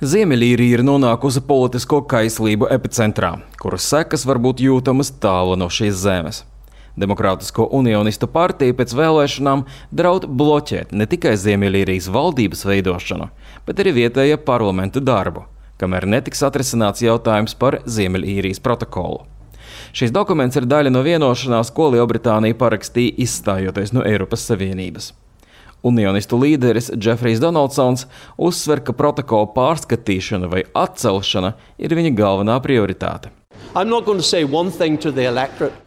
Ziemeļīrija ir nonākusi politisko kaislību epicentrā, kuras sekas var būt jūtamas tālu no šīs zemes. Demokrātisko unionistu partija pēc vēlēšanām draud bloķēt ne tikai Ziemeļīrijas valdības veidošanu, bet arī vietējā parlamenta darbu, kamēr netiks atrisināts jautājums par Ziemeļīrijas protokolu. Šis dokuments ir daļa no vienošanās, ko Lielbritānija parakstīja izstājoties no Eiropas Savienības. Unionistu līderis Džefrijs Donaldsons uzsver, ka protokola pārskatīšana vai atcelšana ir viņa galvenā prioritāte.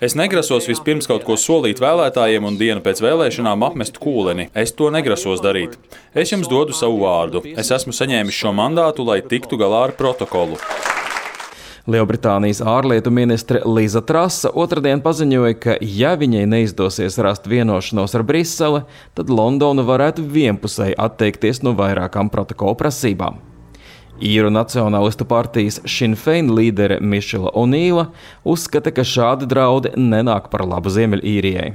Es negrasos vispirms kaut ko solīt vēlētājiem un dienu pēc vēlēšanām apmest kūleni. Es to negrasos darīt. Es jums dodu savu vārdu. Es esmu saņēmis šo mandātu, lai tiktu galā ar protokolu. Lielbritānijas ārlietu ministre Liza Trasa otrdien paziņoja, ka ja viņai neizdosies rast vienošanos ar Briseli, tad Londona varētu vienpusēji atteikties no vairākām protokola prasībām. Īru nacionālistu partijas Sinn Féin līdere Mišela O'Neila uzskata, ka šādi draudi nenāk par labu Ziemeļīrijai.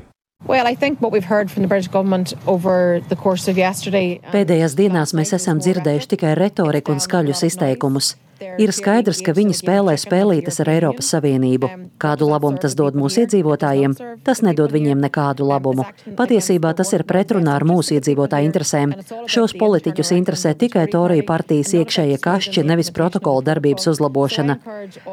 Pēdējās dienās mēs esam dzirdējuši tikai retoriku un skaļus izteikumus. Ir skaidrs, ka viņi spēlē spēlītes ar Eiropas Savienību. Kādu labumu tas dod mūsu iedzīvotājiem? Tas nedod viņiem nekādu labumu. Patiesībā tas ir pretrunā ar mūsu iedzīvotāju interesēm. Šos politiķus interesē tikai Toriju partijas iekšējie kašķi, nevis protokola darbības uzlabošana.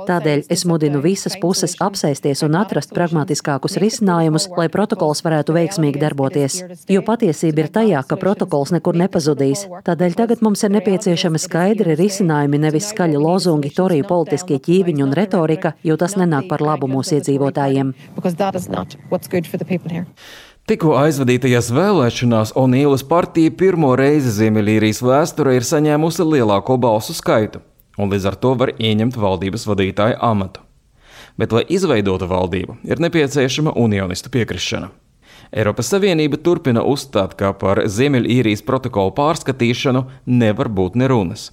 Tādēļ es mudinu visas puses apsēsties un atrast pragmatiskākus risinājumus, lai protokols varētu veiksmīgi darboties. Jo patiesība ir tajā, ka protokols nekur nepazudīs. Tādēļ tagad mums ir nepieciešami skaidri risinājumi, nevis skaļi lozungi, Toriju politiskie ķīviņi un retorika, jo tas nenāk par labu mūsu iedzīvotājiem. Tikko aizvadītajās vēlēšanās O'Neilas partija pirmo reizi Ziemeļīrijas vēsturē ir saņēmusi lielāko balsu skaitu, un līdz ar to var ieņemt valdības vadītāja amatu. Bet, lai izveidotu valdību, ir nepieciešama unionistu piekrišana. Eiropas Savienība turpina uzstāt, ka par Ziemeļīrijas protokolu pārskatīšanu nevar būt nerunas.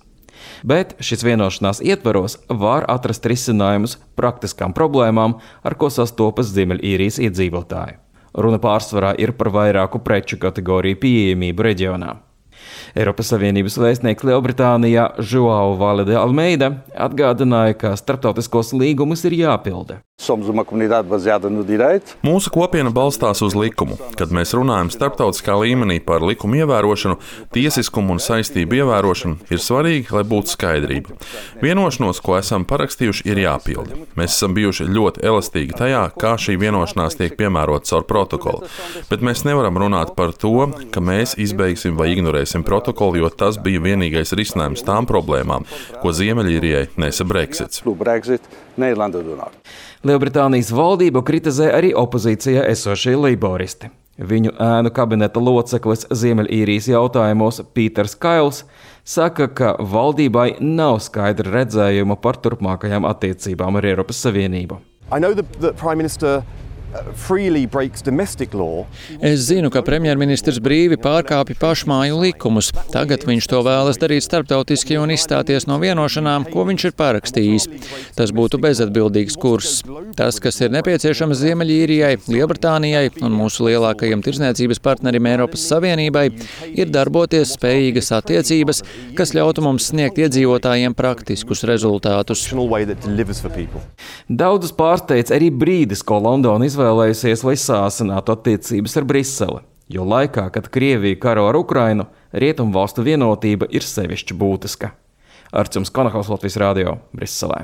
Bet šis vienošanās ietvaros var atrast risinājumus praktiskām problēmām, ar ko sastopas Ziemeļīrijas iedzīvotāji. Runa pārsvarā ir par vairāku preču kategoriju pieejamību reģionā. Eiropas Savienības vēstnieks Lielbritānijā João Vale de Almeida atgādināja, ka starptautiskos līgumus ir jāpilda. Mūsu kopiena balstās uz likumu. Kad mēs runājam starptautiskā līmenī par likumu ievērošanu, tiesiskumu un saistību ievērošanu, ir svarīgi, lai būtu skaidrība. Vienošanos, ko esam parakstījuši, ir jāpilda. Mēs esam bijuši ļoti elastīgi tajā, kā šī vienošanās tiek piemērota caur protokolu. Bet mēs nevaram runāt par to, ka mēs izbeigsim vai ignorēsim protokolu, jo tas bija vienīgais risinājums tām problēmām, ko Ziemeļīrijai nesa Brexits. Lielbritānijas valdību kritizē arī opozīcijā esošie leiboristi. Viņu ēnu kabineta loceklis Ziemeļīrijas jautājumos Pīters Kails saka, ka valdībai nav skaidra redzējuma par turpmākajām attiecībām ar Eiropas Savienību. Es zinu, ka premjerministrs brīvi pārkāpja pašmāju likumus. Tagad viņš to vēlas darīt starptautiski un izstāties no vienošanām, ko viņš ir parakstījis. Tas būtu bezatbildīgs kurs. Tas, kas ir nepieciešams Ziemeļīrijai, Lielbritānijai un mūsu lielākajiem tirdzniecības partnerim Eiropas Savienībai, ir darboties spējīgas attiecības, kas ļautu mums sniegt iedzīvotājiem praktiskus rezultātus. Daudzus pārsteidz arī brīdis, ko Londona izvēlējusies, lai sāsinātu attiecības ar Briseli, jo laikā, kad Krievija karo ar Ukrainu, rietumvalstu vienotība ir sevišķi būtiska. Arčuns Konahaus, Latvijas radio, Briselē.